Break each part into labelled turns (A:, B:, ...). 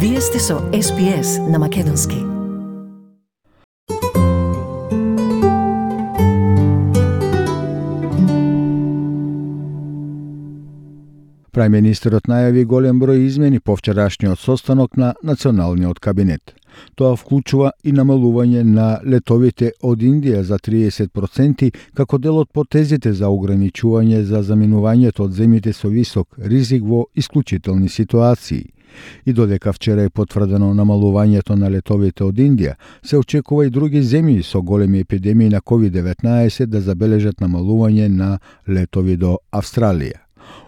A: Вие сте со SPS на Македонски.
B: Прајминистерот најави голем број измени по вчерашниот состанок на Националниот кабинет. Тоа вклучува и намалување на летовите од Индија за 30% како дел од потезите за ограничување за заминувањето од земјите со висок ризик во исклучителни ситуации. И додека вчера е потврдено намалувањето на летовите од Индија, се очекува и други земји со големи епидемии на COVID-19 да забележат намалување на летови до Австралија.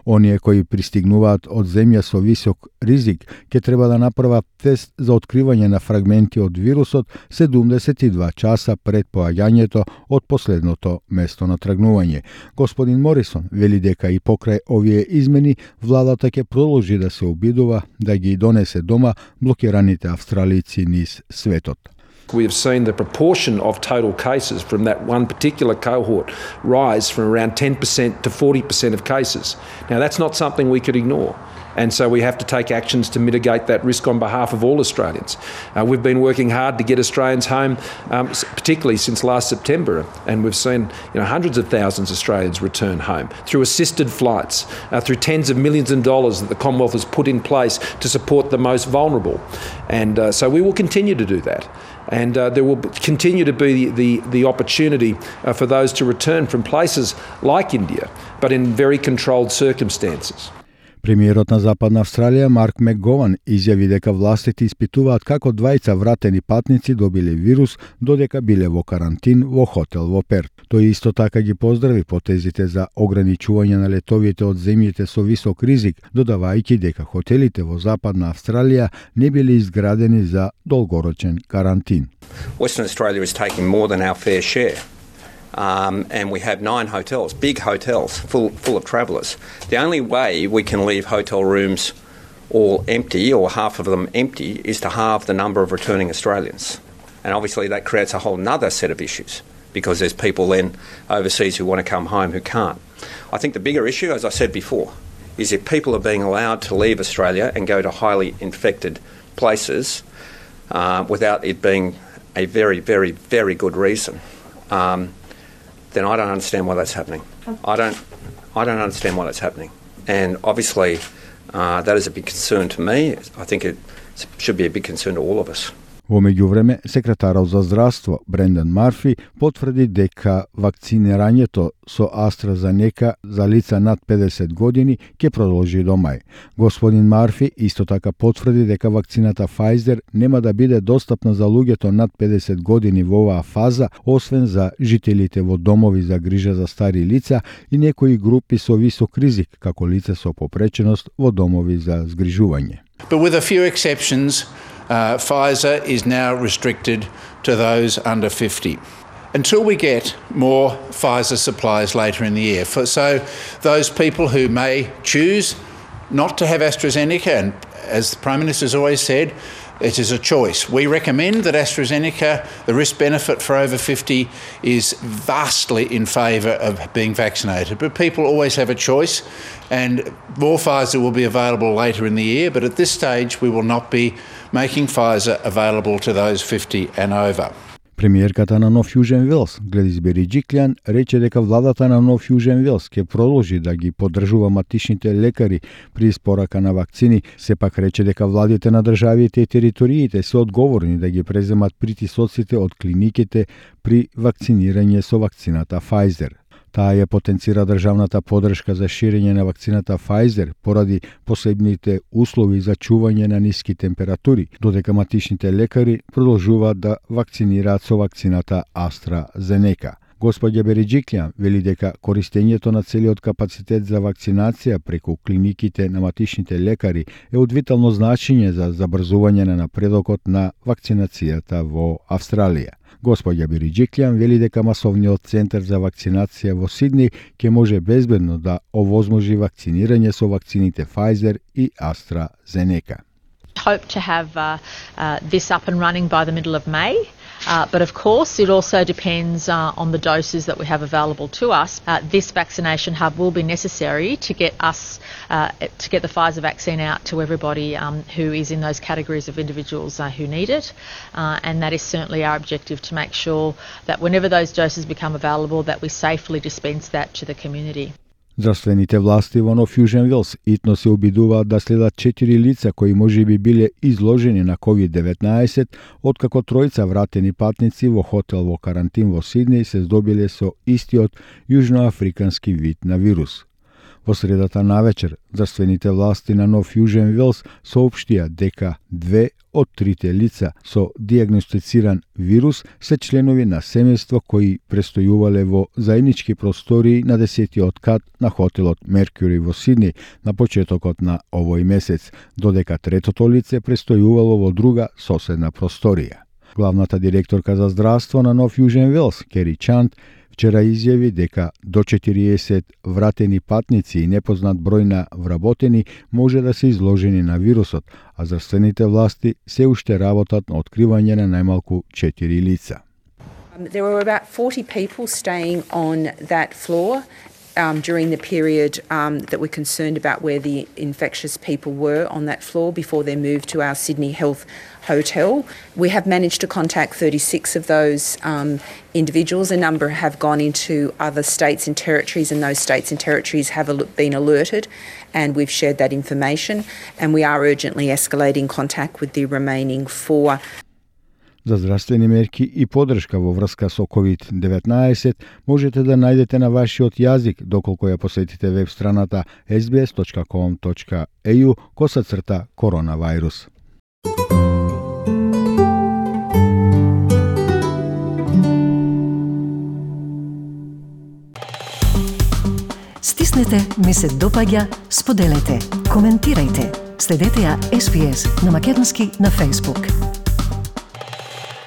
B: Оние кои пристигнуваат од земја со висок ризик ќе треба да направат тест за откривање на фрагменти од вирусот 72 часа пред поаѓањето од последното место на тргнување. Господин Морисон вели дека и покрај овие измени владата ќе продолжи да се обидува да ги донесе дома блокираните австралици низ светот.
C: We have seen the proportion of total cases from that one particular cohort rise from around 10% to 40% of cases. Now, that's not something we could ignore. And so we have to take actions to mitigate that risk on behalf of all Australians. We've been working hard to get Australians home, particularly since last September, and we've seen hundreds of thousands of Australians return home through assisted flights, through tens of millions of dollars that the Commonwealth has put in place to support the most vulnerable. And so we will continue to do that. And there will continue to be the opportunity for those to return from places like India, but in very controlled circumstances.
B: Премиерот на Западна Австралија Марк Макгован изјави дека властите испитуваат како двајца вратени патници добиле вирус додека биле во карантин во хотел во Перт. Тој исто така ги поздрави потезите за ограничување на летовите од земјите со висок ризик, додавајќи дека хотелите во Западна Австралија не биле изградени за долгорочен карантин.
D: Western Australia is taking more than our fair share. And we have 9 hotels, big hotels, full of travellers. The only way we can leave hotel rooms all empty or half of them empty is to halve the number of returning Australians. And obviously that creates a whole nother set of issues because there's people then overseas who want to come home who can't. I think the bigger issue, as I said before, is if people are being allowed to leave Australia and go to highly infected places without it being a very, very, very good reason, then I don't understand why that's happening. I don't understand why that's happening. And obviously, that is a big concern to me. I think it should be a big concern to all of us.
B: Во меѓувреме, секретарот за здравство Брендан Марфи потврди дека вакцинирањето со AstraZeneca за лица над 50 години ќе продолжи до мај. Господин Марфи исто така потврди дека вакцината Pfizer нема да биде достапна за луѓето над 50 години во оваа фаза, освен за жителите во домови за грижа за стари лица и некои групи со висок ризик, како лица со попреченост во домови за згрижување.
E: But with a few exceptions, Pfizer is now restricted to those under 50 until we get more Pfizer supplies later in the year. So those people who may choose not to have AstraZeneca, and as the Prime Minister has always said, it is a choice. We recommend that AstraZeneca, the risk-benefit for over 50 is vastly in favour of being vaccinated. But people always have a choice, and more Pfizer will be available later in the year, but at this stage we will not be making Pfizer available to those 50 and over.
B: Премиерката на Нов Јужен Велс, Гледис Бериџиклјан, рече дека владата на Нов Јужен Велс ќе продолжи да ги поддржува матичните лекари при испорака на вакцини, сепак рече дека владите на државите и териториите се одговорни да ги преземат притисоците од клиниките при вакцинирање со вакцината Pfizer. Таа ја потенцира државната поддршка за ширење на вакцината Pfizer поради посебните услови за чување на ниски температури, додека матичните лекари продолжуваат да вакцинираат со вакцината AstraZeneca. Господја Бериџиклјан вели дека користењето на целиот капацитет за вакцинација преку клиниките на матичните лекари е од витално значење за забрзување на напредокот на вакцинацијата во Австралија. Господја Бериџиклјан вели дека масовниот центар за вакцинација во Сидни ќе може безбедно да овозможи вакцинирање со вакцините Pfizer и AstraZeneca.
F: Hope to have this up and running by the middle of May. But of course, it also depends on the doses that we have available to us. This vaccination hub will be necessary to get the Pfizer vaccine out to everybody who is in those categories of individuals who need it. And that is certainly our objective, to make sure that whenever those doses become available, that we safely dispense that to the community.
B: Здравствените власти во Нов Јужен Велс итно се обидуваат да следат 4 лица кои можеби биле изложени на COVID-19, откако тројца вратени патници во хотел во карантин во Сиднеј се здобиле со истиот јужноафрикански вид на вирус. Во средата навечер, здравствените власти на Нов Јужен Велс соопштија дека 2 од 3 лица со дијагностициран вирус се членови на семејство кои престојувале во заеднички простории на 10-тиот кат на хотелот Меркјури во Сиднеј на почетокот на овој месец, додека третото лице престојувало во друга соседна просторија. Главната директорка за здравство на Нов Јужен Велс, Кери Чант, вчера изјави дека до 40 вратени патници и непознат број на вработени може да се изложени на вирусот, а здравствените власти се уште работат на откривање на најмалку 4 лица.
G: There were about 40 people staying on that floor during the period that we're concerned about where the infectious people were on that floor before they moved to our Sydney Health Hotel. We have managed to contact 36 of those individuals. A number have gone into other states and territories, and those states and territories have been alerted, and we've shared that information, and we are urgently escalating contact with the remaining 4.
B: За здравствени мерки и подршка во врска со COVID-19 можете да најдете на вашиот јазик доколку ја посетите веб страната sbs.com.au/коронавирус.
A: Стиснете, ми се допаѓа, споделете, коментирајте. Следете ја SPS на Македонски на Facebook.